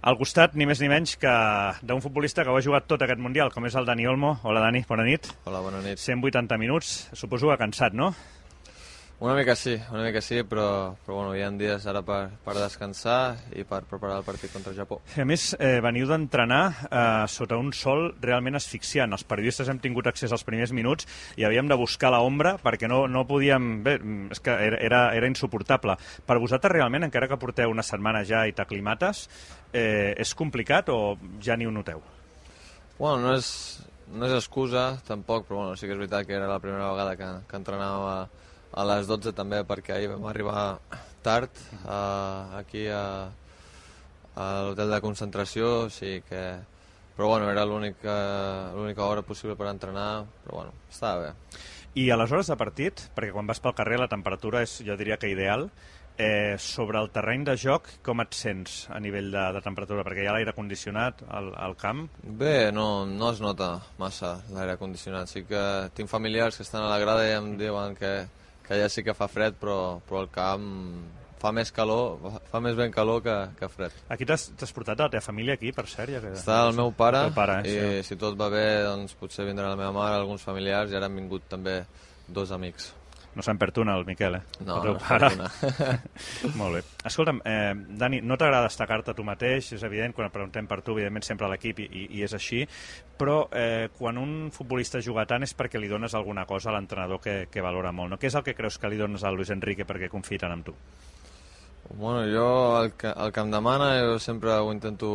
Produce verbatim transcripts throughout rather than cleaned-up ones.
Al costat, ni més ni menys que d'un futbolista que ho ha jugat tot aquest Mundial, com és el Dani Olmo. Hola, Dani, bona nit. Hola, bona nit. cent vuitanta minuts, suposo que cansat, no? Una mica sí, una mica sí, però, però bueno, hi ha dies ara per, per descansar i per preparar el partit contra el Japó. A més, eh, veniu d'entrenar eh, sota un sol realment asfixiant. Els periodistes hem tingut accés als primers minuts i havíem de buscar l'ombra perquè no, no podíem... Bé, és que era, era, era insuportable. Per vosaltres realment, encara que porteu una setmana ja i t'aclimates, eh, és complicat o ja ni ho noteu? Bueno, no és, no és excusa, tampoc, però bueno, sí que és veritat que era la primera vegada que, que entrenava a les dotze també, perquè ahir vam arribar tard uh, aquí a, a l'hotel de concentració, o sigui que... Però bueno, era l'única l'única hora possible per entrenar, però bueno, estava bé. I a les hores de partit, perquè quan vas pel carrer la temperatura és, jo diria que ideal, eh, sobre el terreny de joc, com et sents a nivell de, de temperatura? Perquè hi ha l'aire condicionat al, al camp. Bé, no, no es nota massa l'aire condicionat. Sí que tinc familiars que estan a la grada i em diuen que que ja sí que fa fred, però, però el camp fa més calor, fa més ben calor que, que fred. Aquí t'has portat a la teva família aquí, per cert? Ja que... Està el meu pare, el pare i sí. Si tot va bé, doncs potser vindrà la meva mare, alguns familiars, i ara han vingut també dos amics. No se'n perd una, el Miquel, eh? No, el no se'n perd una. Molt bé. Escolta'm, eh, Dani, no t'agrada destacar-te tu mateix, és evident, quan preguntem per tu, evidentment sempre a l'equip i, i és així, però eh, quan un futbolista juga tant és perquè li dones alguna cosa a l'entrenador que, que valora molt, no? Què és el que creus que li dones a Luis Enrique perquè confiï tant en tu? Bueno, jo el que, el que em demana jo sempre ho intento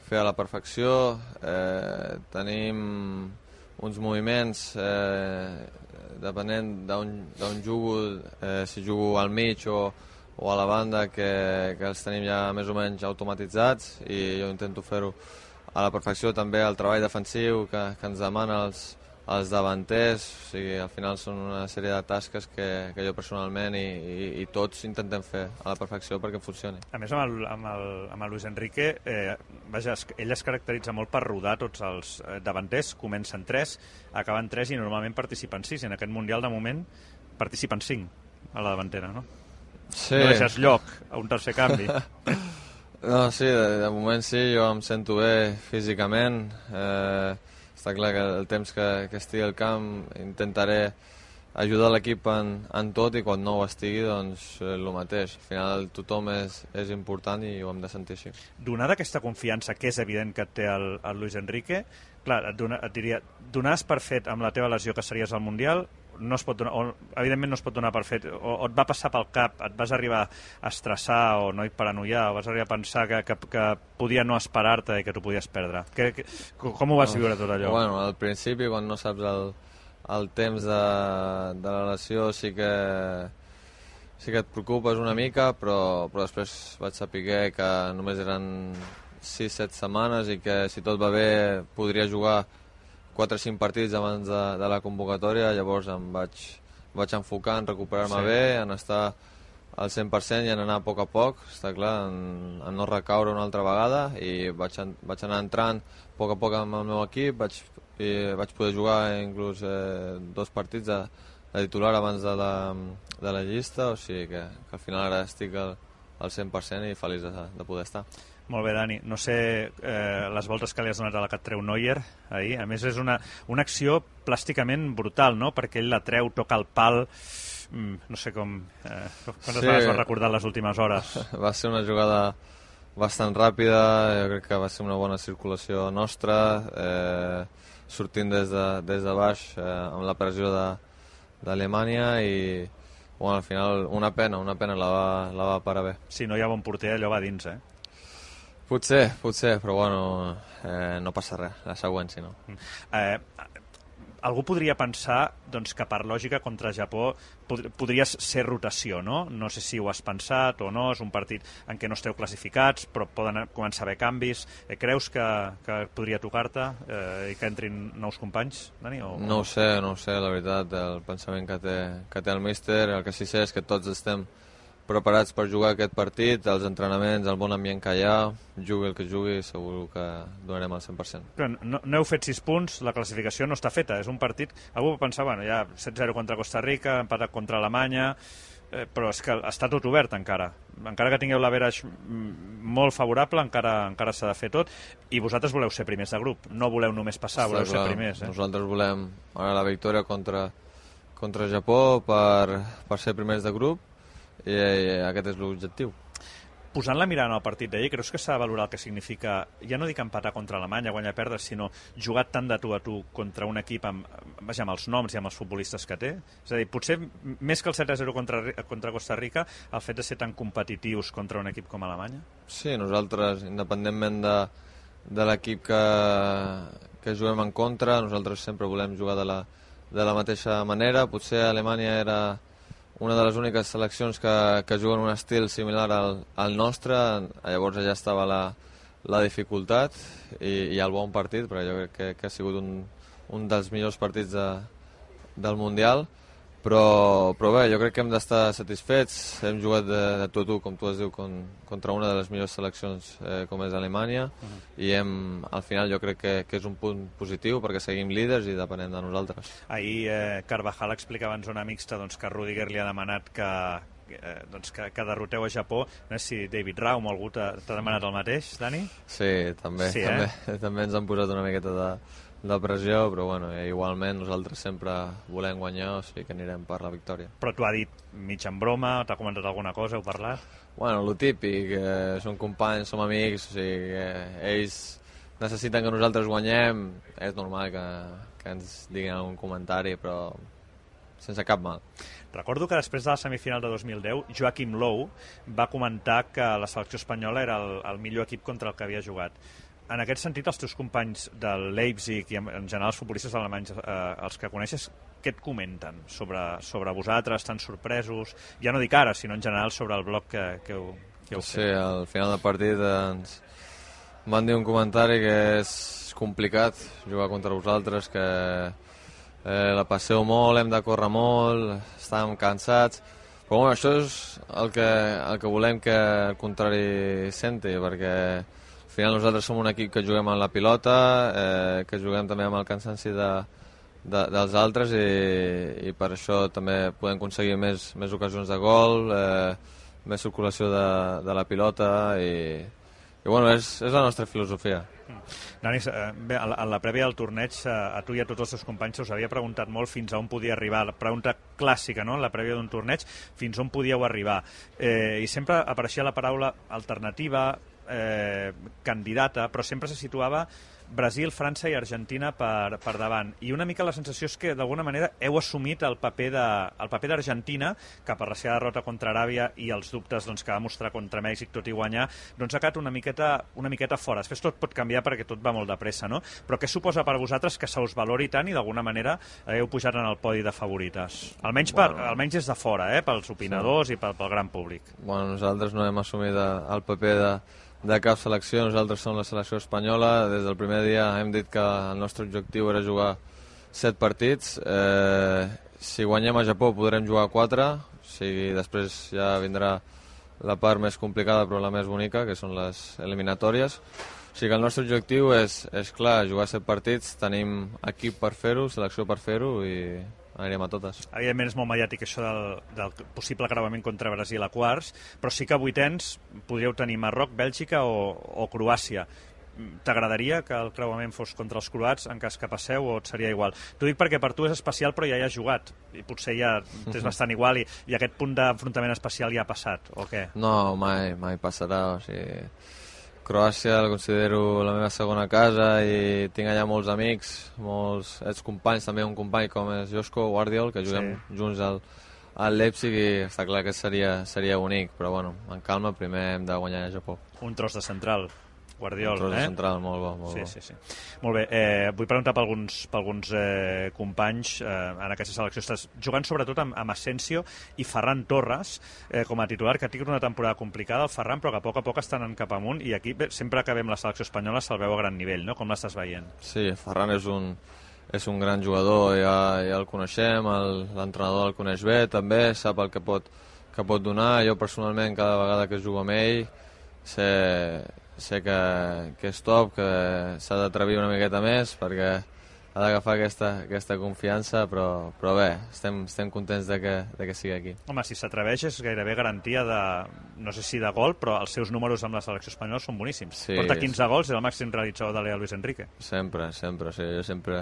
fer a la perfecció. Eh, tenim uns moviments... Eh, depenent d'on jugo, eh, si jugo al mig o, o a la banda, que, que els tenim ja més o menys automatitzats, i jo intento fer-ho a la perfecció. També el treball defensiu que, que ens demana els, els davanters, o sigui, al final són una sèrie de tasques que, que jo personalment i, i, i tots intentem fer a la perfecció perquè funcioni. A més, amb el, amb el, amb el Luis Enrique, eh, vaja, ell es caracteritza molt per rodar tots els davanters, comencen tres, acaben tres i normalment participen sis, i en aquest Mundial de moment participen cinc a la davantera, no? Sí. No deixes lloc a un tercer canvi. No, sí, de, de moment sí, jo em sento bé físicament, eh, està clar que el temps que, que estigui al camp intentaré ajudar l'equip en, en tot, i quan no ho estigui, doncs eh, el mateix. Al final tothom és, és important i ho hem de sentir així. Donada aquesta confiança, que és evident que té el, el Luis Enrique, clar, et, dona, et diria, donaves per fet amb la teva lesió que series al Mundial, no es pot donar, o, evidentment no es pot donar per fet, o, o et va passar pel cap, et vas arribar a estressar o no hi paranoiar, o vas arribar a pensar que, que, que podia no esperar-te i que t'ho podies perdre. Que, que, com ho vas viure tot allò? Bueno, al principi, quan no saps el, el temps de, de la lesió, sí que sí que et preocupes una mica, però, però després vaig saber que només eren sis set setmanes i que si tot va bé podria jugar quatre o cinc partits abans de, de la convocatòria. Llavors em vaig, vaig enfocar en recuperar-me sí. bé, en estar al cent per cent i en anar a poc a poc, està clar, en, en no recaure una altra vegada, i vaig, en, vaig anar entrant a poc a poc amb el meu equip, vaig, i vaig poder jugar inclús eh, dos partits de, de titular abans de la, de la llista, o sigui que, que al final ara estic al, al cent per cent i feliç de, de poder estar. Molt bé, Dani. No sé eh, les voltes que li has donat a la que et treu Neuer ahir. A més, és una, una acció plàsticament brutal, no? Perquè ell la treu, toca el pal... Mm, no sé com... Eh, quantes sí. vegades vas recordar les últimes hores? Va ser una jugada bastant ràpida, jo crec que va ser una bona circulació nostra, eh, sortint des de, des de baix eh, amb la pressió d'Alemanya, i bueno, al final una pena, una pena, la va, la va parar bé. Si no hi ha bon porter, allò va dins, eh? Potser, potser, però bueno, eh, no passa res, la següent, si no. Eh, algú podria pensar doncs, que per lògica contra Japó pod podria ser rotació, no? No sé si ho has pensat o no, és un partit en què no esteu classificats, però poden començar a haver canvis. Eh, creus que, que podria tocar-te eh, i que entrin nous companys, Dani? O, o... No ho sé, no ho sé, la veritat, el pensament que té, que té el míster. El que sí sé és que tots estem preparats per jugar aquest partit, els entrenaments, el bon ambient que hi ha, jugui el que jugui, segur que donarem el cent per cent. Però no, no heu fet sis punts, la classificació no està feta, és un partit... Algú va pensar, bueno, ja set zero contra Costa Rica, empatat contra Alemanya... eh, però és que està tot obert encara. Encara que tingueu l'average molt favorable, encara encara s'ha de fer tot, i vosaltres voleu ser primers de grup, no voleu només passar, voleu ser primers. Eh? Nosaltres volem ara la victòria contra, contra Japó per, per ser primers de grup, i, i aquest és l'objectiu. Posant la mirada en el partit d'ahir, creus que s'ha de valorar el que significa, ja no dic empatar contra Alemanya, guanyar o perdre, sinó jugar tant de tu a tu contra un equip amb, vaja, amb els noms i amb els futbolistes que té? És a dir, potser més que el set a zero contra, contra Costa Rica, el fet de ser tan competitius contra un equip com Alemanya? Sí, nosaltres, independentment de, de l'equip que, que juguem en contra, nosaltres sempre volem jugar de la, de la mateixa manera. Potser Alemanya era una de les úniques seleccions que, que juguen un estil similar al, al nostre, llavors allà estava la, la dificultat i, i el bon partit, però jo crec que, que ha sigut un, un dels millors partits de, del Mundial, però, però bé, jo crec que hem d'estar satisfets, hem jugat de, de tu a tu, com tu has dit, con, contra una de les millors seleccions eh, com és Alemanya, uh-huh. i hem, al final jo crec que, que és un punt positiu perquè seguim líders i depenem de nosaltres. Ahir eh, Carvajal explicava en zona mixta doncs, que Rudiger li ha demanat que, eh, doncs, que, que derroteu a Japó. No sé si David Raum o algú t'ha demanat el mateix, Dani? Sí, també, sí, també, eh? també ens han posat una miqueta de de pressió, però bueno, igualment nosaltres sempre volem guanyar, o sigui que anirem per la victòria. Però t'ho ha dit mig en broma, t'ha comentat alguna cosa, heu parlat? Bueno, lo típic, eh, som companys, som amics, o sigui que ells necessiten que nosaltres guanyem, és normal que, que ens diguin algun comentari, però sense cap mal. Recordo que després de la semifinal de dos mil deu, Joaquim Low va comentar que la selecció espanyola era el, el millor equip contra el que havia jugat. En aquest sentit, els teus companys del Leipzig i en general els futbolistes alemanys, eh, els que coneixes, què et comenten sobre, sobre vosaltres, tan sorpresos? Ja no dic ara, sinó en general sobre el bloc que, que heu, que heu sí, fet. Sí, al final del partit ens van dir un comentari que és complicat jugar contra vosaltres, que eh, la passeu molt, hem de córrer molt, estàvem cansats, però bueno, això és el que, el que volem que el contrari senti, perquè al final nosaltres som un equip que juguem amb la pilota, eh, que juguem també amb el cansanci de, de, dels altres i, i per això també podem aconseguir més, més ocasions de gol, eh, més circulació de, de la pilota i, i bueno, és, és la nostra filosofia. Dani, bé, a la, a la prèvia del torneig, a, a tu i a tots els teus companys us havia preguntat molt fins a on podia arribar, la pregunta clàssica, no?, la prèvia d'un torneig, fins on podíeu arribar. Eh, I sempre apareixia la paraula alternativa, Eh, candidata, però sempre se situava Brasil, França i Argentina per, per davant, i una mica la sensació és que d'alguna manera heu assumit el paper de, el paper d'Argentina, que per la seva derrota contra Aràbia i els dubtes doncs, que va mostrar contra Mèxic, tot i guanyar, doncs ha quedat una miqueta, una miqueta fora. Després tot pot canviar perquè tot va molt de pressa, no? Però què suposa per vosaltres que se us valori tant i d'alguna manera heu pujat en el podi de favorites? Almenys, per, bueno, almenys des de fora, eh? Pels opinadors sí. i pel, pel gran públic. Bueno, nosaltres no hem assumit el paper de de cap selecció, nosaltres som la selecció espanyola, des del primer dia hem dit que el nostre objectiu era jugar set partits, eh, si guanyem a Japó podrem jugar quatre, o sigui, després ja vindrà la part més complicada però la més bonica, que són les eliminatòries, o sigui que el nostre objectiu és, és clar, jugar set partits, tenim equip per fer-ho, selecció per fer-ho i anirem a totes. Evidentment és molt mediàtic això del, del possible creuament contra Brasil a quarts, però sí que a vuitens podríeu tenir Marroc, Bèlgica o, o Croàcia. T'agradaria que el creuament fos contra els croats en cas que passeu o et seria igual? T'ho dic perquè per tu és especial però ja hi has jugat i potser ja t'és bastant igual i, i aquest punt d'enfrontament especial ja ha passat, o què? No, mai, mai passarà, o sigui... Croàcia la considero la meva segona casa i tinc allà molts amics, molts excompanys, també un company com és Josko Guardiol, que juguem sí. junts al, al Leipzig i està clar que seria, seria bonic, però bueno, en calma, primer hem de guanyar a Japó. Un tros de central, Guardiol, un tros eh? de central, molt bo. Molt sí, bo. sí, sí. Molt bé, eh, vull preguntar per alguns, per alguns eh, companys eh, en aquesta selecció. Estàs jugant sobretot amb, amb Asensio i Ferran Torres eh, com a titular, que ha tingut una temporada complicada el Ferran, però que a poc a poc estan en cap amunt i aquí bé, sempre que veiem la selecció espanyola se'l veu a gran nivell, no? Com l'estàs veient? Sí, Ferran és un, és un gran jugador, ja, ja el coneixem, l'entrenador el coneix bé, també sap el que pot, que pot donar. Jo personalment cada vegada que jugo amb ell sé... sé que, que és top, que s'ha d'atrevir una miqueta més perquè ha d'agafar aquesta, aquesta confiança, però, però bé, estem, estem contents de que, de que sigui aquí. Home, si s'atreveix és gairebé garantia de, no sé si de gol, però els seus números amb la selecció espanyola són boníssims. Sí, Porta quinze gols i el màxim realitzador de l'E A Luis Enrique. Sempre, sempre. O sigui, jo sempre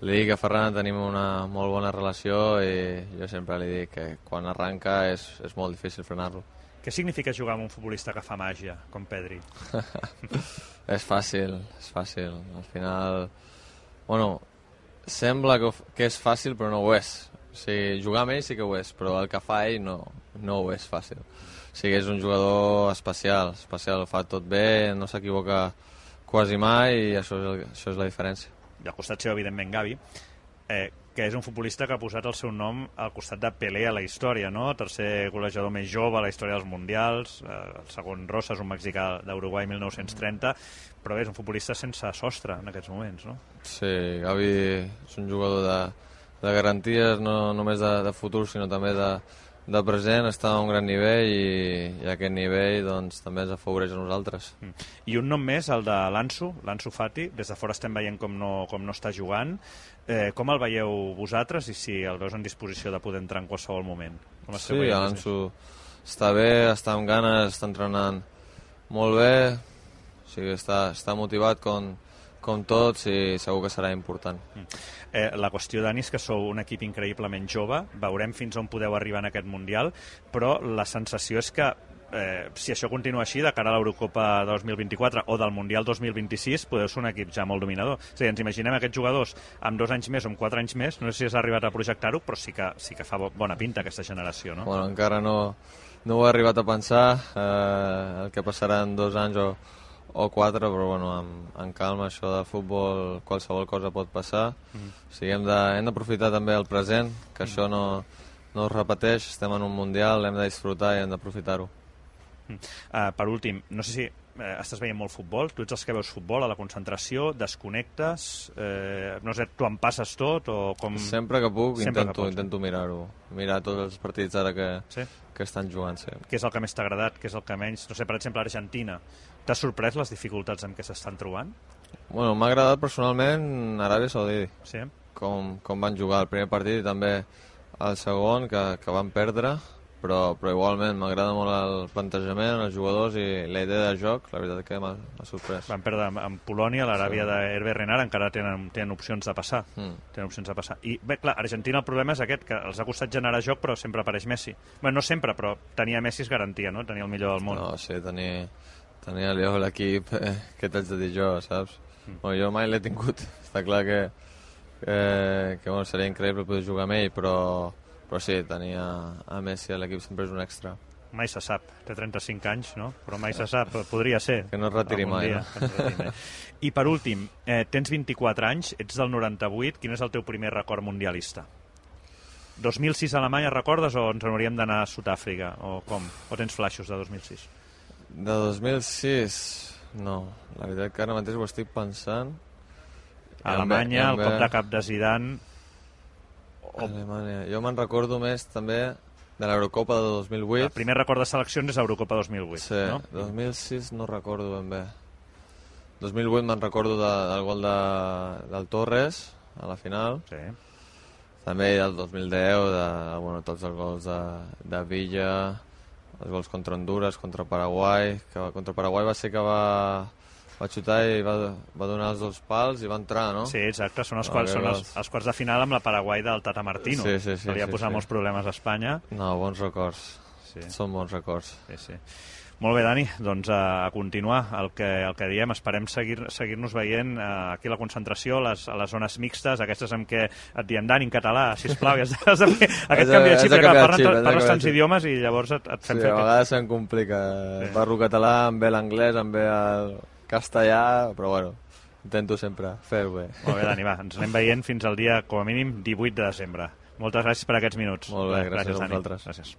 li dic a Ferran, tenim una molt bona relació i jo sempre li dic que quan arranca és, és molt difícil frenar-lo. Què significa jugar amb un futbolista que fa màgia, com Pedri? És fàcil, és fàcil. Al final, bueno, sembla que, que és fàcil, però no ho és. O sigui, jugar amb ell sí que ho és, però el que fa ell no, no ho és fàcil. O sigui, és un jugador especial, especial, fa tot bé, no s'equivoca quasi mai i això és, el, això és la diferència. I al costat seu, evidentment, Gavi, eh, que és un futbolista que ha posat el seu nom al costat de Pelé a la història, no? Tercer golejador més jove a la història dels Mundials, eh, el segon Rosas, un mexicà d'Uruguai mil nou-cents trenta, però bé, és un futbolista sense sostre en aquests moments, no? Sí, Gavi és un jugador de, de garanties, no només de, de futur, sinó també de, de present, està a un gran nivell i, i aquest nivell doncs, també ens afavoreix a nosaltres. Mm. I un nom més, el de l'Ansu, l'Ansu Fati, des de fora estem veient com no, com no està jugant. Eh, com el veieu vosaltres i si el veus en disposició de poder entrar en qualsevol moment? Com sí, l'Ansu està bé, està amb ganes, està entrenant molt bé, o sigui, està, està motivat com, com tots i segur que serà important. Mm. Eh, la qüestió, Dani, és que sou un equip increïblement jove, veurem fins on podeu arribar en aquest Mundial, però la sensació és que eh, si això continua així, de cara a l'Eurocopa dos mil vint-i-quatre o del Mundial dos mil vint-i-sis, podeu ser un equip ja molt dominador. O sigui, ens imaginem aquests jugadors amb dos anys més o amb quatre anys més, no sé si has arribat a projectar-ho, però sí que, sí que fa bona pinta aquesta generació, no? Bueno, encara no, no ho he arribat a pensar, eh, el que passarà en dos anys o o quatre, però bueno, amb, amb calma, això de futbol, qualsevol cosa pot passar. Mm. O sigui, hem de, hem d'aprofitar també el present, que mm. això no, no es repeteix, estem en un Mundial, hem de disfrutar i hem d'aprofitar-ho. Mm. Uh, per últim, no sé si eh, estàs veient molt futbol, tu ets els que veus futbol a la concentració, desconnectes, eh, no sé, tu en passes tot o com... Sempre que puc Sempre intento, que pots, intento mirar-ho, mirar tots els partits ara que, sí? que estan jugant. Sí. Què és el que més t'ha agradat, què és el que menys? No sé, per exemple, Argentina, t'ha sorprès les dificultats amb què s'estan trobant? Bueno, m'ha agradat personalment Aràbia Saudí, sí? com, com van jugar el primer partit i també el segon, que, que van perdre, però, però igualment m'agrada molt el plantejament, els jugadors i la idea de joc, la veritat que m'ha sorprès. Van perdre amb Polònia, l'Aràbia sí. d'Hervé Renard, encara tenen, tenen opcions de passar. Mm. Tenen opcions de passar. I bé, clar, Argentina el problema és aquest, que els ha costat generar joc, però sempre apareix Messi. Bé, no sempre, però tenia Messi és garantia, no? Tenia el millor del món. No, sí, tenia, tenia l'equip eh, que t'haig de dir jo, saps? Mm. Bueno, jo mai l'he tingut. Està clar que, que, que bueno, seria increïble poder jugar amb ell, però però sí, tenia a Messi a l'equip sempre és un extra. Mai se sap, té trenta-cinc anys, no? Però mai se sap, podria ser. Que no es retiri mai, dia, no? Retiri. I per últim, eh, tens vint-i-quatre anys, ets del noranta-vuit, quin és el teu primer record mundialista? dos mil sis a Alemanya, recordes, o ens hauríem d'anar a Sud-àfrica, o com? O tens flaixos de dos mil sis? De dos mil sis, no. La veritat que ara mateix ho estic pensant. A Alemanya, el cop de cap de Zidane... O... Alemanya. Jo me'n recordo més també de l'Eurocopa de dos mil vuit. El primer record de seleccions és l'Eurocopa dos mil vuit, sí, no? dos mil sis no recordo ben bé. dos mil vuit me'n recordo de, del gol de, del Torres a la final. Sí. També del dos mil deu, de, bueno, tots els gols de, de Villa, els gols contra Honduras, contra Paraguai, que contra Paraguai va ser que va... va xutar i va, va donar els dos pals i va entrar, no? Sí, exacte, són els, no, quals, són els, els quarts de final amb la Paraguai del Tata Martino. Sí, sí, sí. Que li ha sí, posat sí. molts problemes a Espanya. No, bons records. Sí. Són bons records. Sí, sí. Molt bé, Dani, doncs a, a continuar el que, el que diem. Esperem seguir-nos seguir veient eh, aquí a la concentració, les, a les zones mixtes, aquestes en què et diem, Dani, en català, sisplau, has de, has de fer aquest canvi de xip, que parles, parles tants idiomes i llavors et, et fem sí, fer... Sí, a vegades se'm complica. Sí. Parlo català, em ve l'anglès, em ve el castellà, però bueno, intento sempre fer-ho bé. Molt bé, Dani, va, ens anem veient fins al dia, com a mínim, divuit de desembre. Moltes gràcies per aquests minuts. Molt bé, gràcies, gràcies a vosaltres. Gràcies.